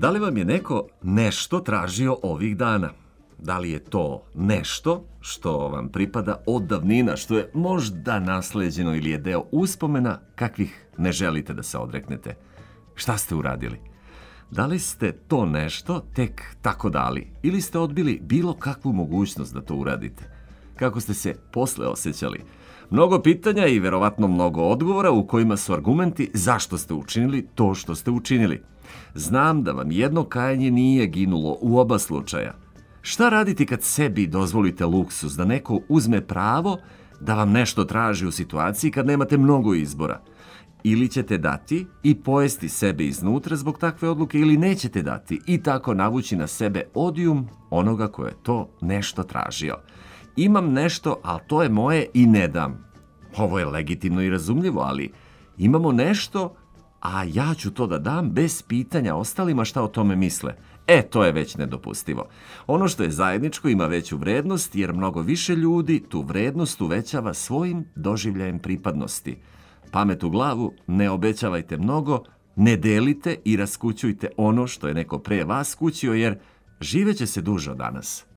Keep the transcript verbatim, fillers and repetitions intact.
Da li vam je neko nešto tražio ovih dana? Da li je to nešto što vam pripada od davnina, što je možda nasleđeno ili je deo uspomena kakvih ne želite da se odreknete? Šta ste uradili? Da li ste to nešto tek tako dali ili ste odbili bilo kakvu mogućnost da to uradite? Kako ste se posle osjećali? Mnogo pitanja i verovatno mnogo odgovora u kojima su argumenti zašto ste učinili to što ste učinili. Znam da vam jedno kajanje nije ginulo u oba slučaja. Šta raditi kad sebi dozvolite luksuz da neko uzme pravo da vam nešto traži u situaciji kad nemate mnogo izbora? Ili ćete dati i pojesti sebe iznutra zbog takve odluke ili nećete dati i tako navući na sebe odijum onoga ko je to nešto tražio. Imam nešto, ali to je moje i ne dam. Ovo je legitimno i razumljivo, ali imamo nešto, a ja ću to da dam bez pitanja ostalima šta o tome misle. E, to je već nedopustivo. Ono što je zajedničko ima veću vrednost, jer mnogo više ljudi tu vrednost uvećava svojim doživljajem pripadnosti. Pamet u glavu, ne obećavajte mnogo, ne delite i raskućujte ono što je neko pre vas skućio, jer živeće se duže od danas.